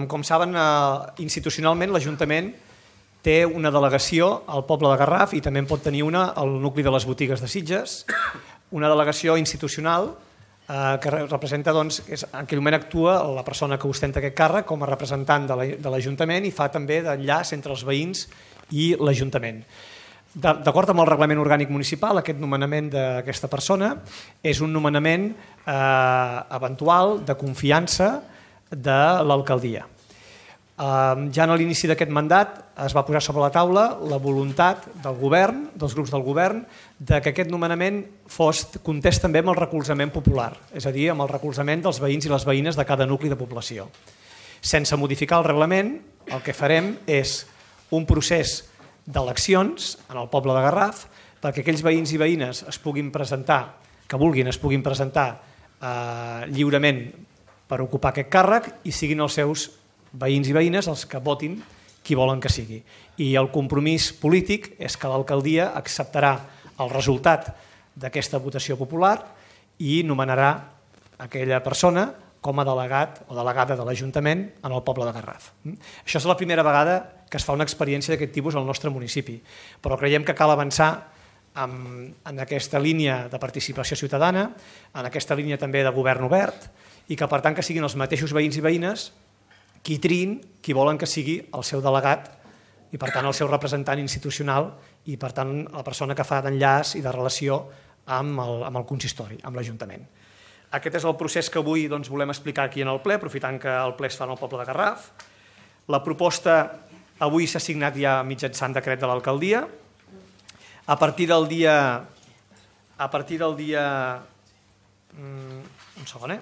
Com saben, institucionalment l'Ajuntament té una delegació al poble de Garraf i també en pot tenir una al nucli de les botigues de Sitges, una delegació institucional que representa, doncs, en aquell moment actua la persona que ostenta aquest càrrec com a representant de l'Ajuntament i fa també d'enllaç entre els veïns i l'Ajuntament. D'acord amb el reglament orgànic municipal, aquest nomenament d'aquesta persona és un nomenament eventual de confiança de l'alcaldia. Ja a l'inici d'aquest mandat es va posar sobre la taula la voluntat del govern, dels grups del govern, que aquest nomenament comptés també amb el recolzament popular, és a dir, amb el recolzament dels veïns i les veïnes de cada nucli de població. Sense modificar el reglament, el que farem és un procés d'eleccions en el poble de Garraf perquè aquells veïns i veïnes es puguin presentar, que vulguin es puguin presentar lliurement per ocupar aquest càrrec i siguin els seus veïns i veïnes els que votin qui volen que sigui. I el compromís polític és que l'alcaldia acceptarà el resultat d'aquesta votació popular i nomenarà aquella persona com a delegat o delegada de l'Ajuntament en el poble de Garraf. Això és la primera vegada que es fa una experiència d'aquest tipus al nostre municipi, però creiem que cal avançar en aquesta línia de participació ciutadana, en aquesta línia també de govern obert i que per tant que siguin els mateixos veïns i veïnes qui triïn, qui volen que sigui el seu delegat i per tant el seu representant institucional i per tant la persona que fa d'enllaç i de relació amb el consistori, amb l'Ajuntament. Aquest és el procés que avui volem explicar aquí en el ple, aprofitant que el ple es fa en el poble de Garraf. La proposta avui s'ha signat ja mitjançant decret de l'alcaldia. A partir del dia... Un segon,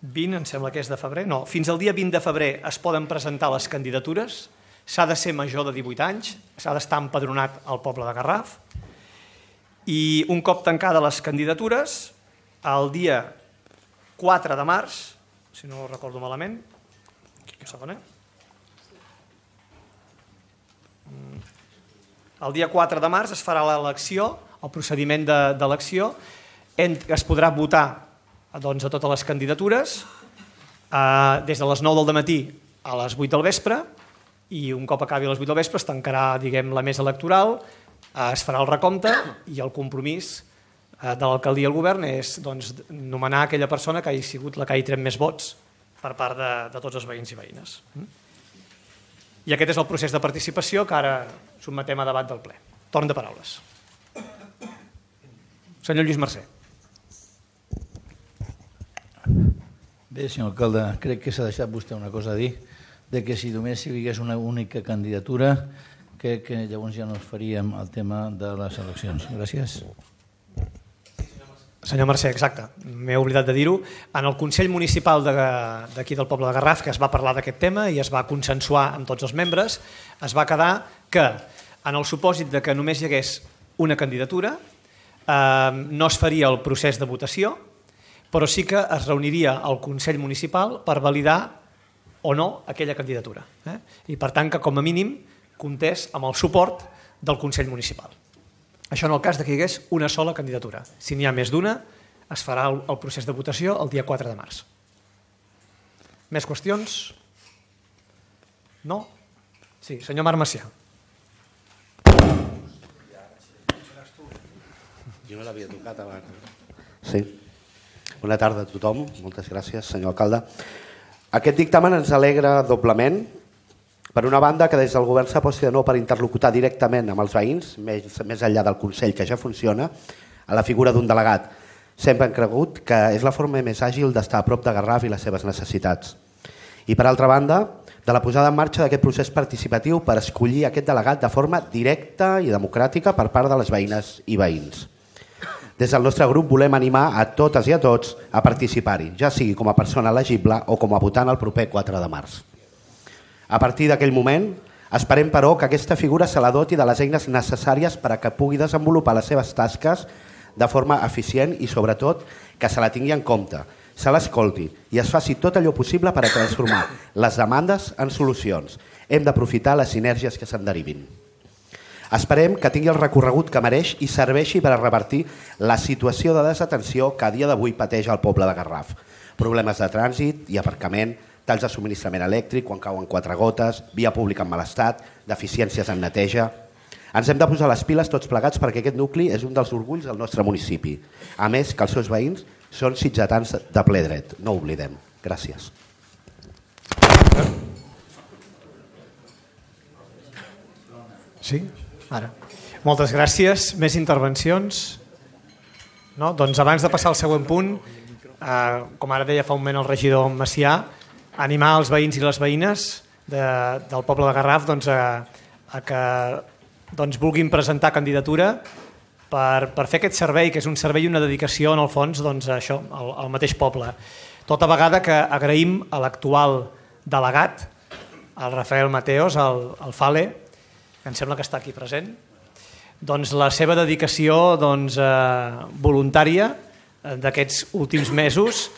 20, em sembla que és de febrer. No, fins al dia 20 de febrer es poden presentar les candidatures. S'ha de ser major de 18 anys, s'ha d'estar empadronat al poble de Garraf. I un cop tancades les candidatures, el dia 4 de març, si no recordo malament, el dia 4 de març es farà l'elecció, el procediment d'elecció, es podrà votar a totes les candidatures des de les 9 del matí a les 8 del vespre i un cop acabi a les 8 del vespre es tancarà la mesa electoral, es farà el recompte i el compromís de l'alcaldia i el govern és nomenar aquella persona que hagi sigut la que hagi tret més vots per part de tots els veïns i veïnes. I aquest és el procés de participació que ara sotmetem a debat del ple. Torn de paraules. Senyor Lluís Mercè. Bé, senyor alcalde, crec que s'ha deixat vostè una cosa a dir, de que si només hi hagués una única candidatura, crec que llavors ja no es faríem el tema de les eleccions. Gràcies. Senyor Mercè, exacte, m'he oblidat de dir-ho. En el Consell Municipal d'aquí del poble de Garraf, que es va parlar d'aquest tema i es va consensuar amb tots els membres, es va quedar que en el supòsit de que només hi hagués una candidatura no es faria el procés de votació, però sí que es reuniria el Consell Municipal per validar o no aquella candidatura. I per tant que com a mínim comptés amb el suport del Consell Municipal. Això en el cas que hi hagués una sola candidatura. Si n'hi ha més d'una, es farà el procés de votació el dia 4 de març. Més qüestions? No? Sí, senyor Marc Macià. Jo no l'havia tocat abans. Sí. Bona tarda a tothom. Moltes gràcies, senyor alcalde. Aquest dictamen ens alegra doblement. Per una banda, que des del govern s'aposti de nou per interlocutar directament amb els veïns, més enllà del Consell, que ja funciona, a la figura d'un delegat. Sempre hem cregut que és la forma més àgil d'estar a prop de Garraf i les seves necessitats. I per altra banda, de la posada en marxa d'aquest procés participatiu per escollir aquest delegat de forma directa i democràtica per part de les veïnes i veïns. Des del nostre grup volem animar a totes i a tots a participar-hi, ja sigui com a persona elegible o com a votant el proper 4 de març. A partir d'aquell moment, esperem, però, que aquesta figura se la doti de les eines necessàries per a que pugui desenvolupar les seves tasques de forma eficient i, sobretot, que se la tingui en compte, se l'escolti i es faci tot allò possible per a transformar les demandes en solucions. Hem d'aprofitar les sinergies que se'n derivin. Esperem que tingui el recorregut que mereix i serveixi per a revertir la situació de desatenció que a dia d'avui pateix el poble de Garraf. Problemes de trànsit i aparcament, talls de subministrament elèctric quan cauen 4 gotes, via pública en mal estat, deficiències en neteja. Ens hem de posar les piles tots plegats perquè aquest nucli és un dels orgulls del nostre municipi. A més, que els seus veïns són sitgetans de ple dret. No ho oblidem. Gràcies. Sí? Ara. Moltes gràcies. Més intervencions? No? Doncs abans de passar al següent punt, com ara deia fa un moment el regidor Macià, animar els veïns i les veïnes del poble de Garraf a que vulguin presentar candidatura per fer aquest servei, que és un servei i una dedicació en el fons al mateix poble. Tota vegada que agraïm a l'actual delegat, el Rafael Mateos, el Fale, que em sembla que està aquí present, doncs la seva dedicació voluntària d'aquests últims mesos,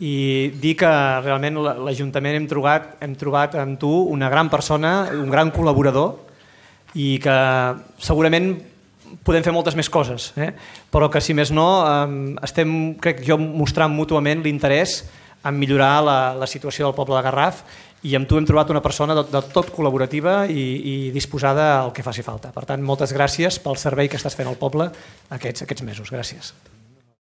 i dir que realment l'Ajuntament hem trobat en tu una gran persona, un gran col·laborador, i que segurament podem fer moltes més coses, però que si més no estem, crec jo, mostrant mútuament l'interès en millorar la situació del poble de Garraf, i amb tu hem trobat una persona de tot col·laborativa i disposada al que faci falta. Per tant, moltes gràcies pel servei que estàs fent al poble aquests mesos. Gràcies.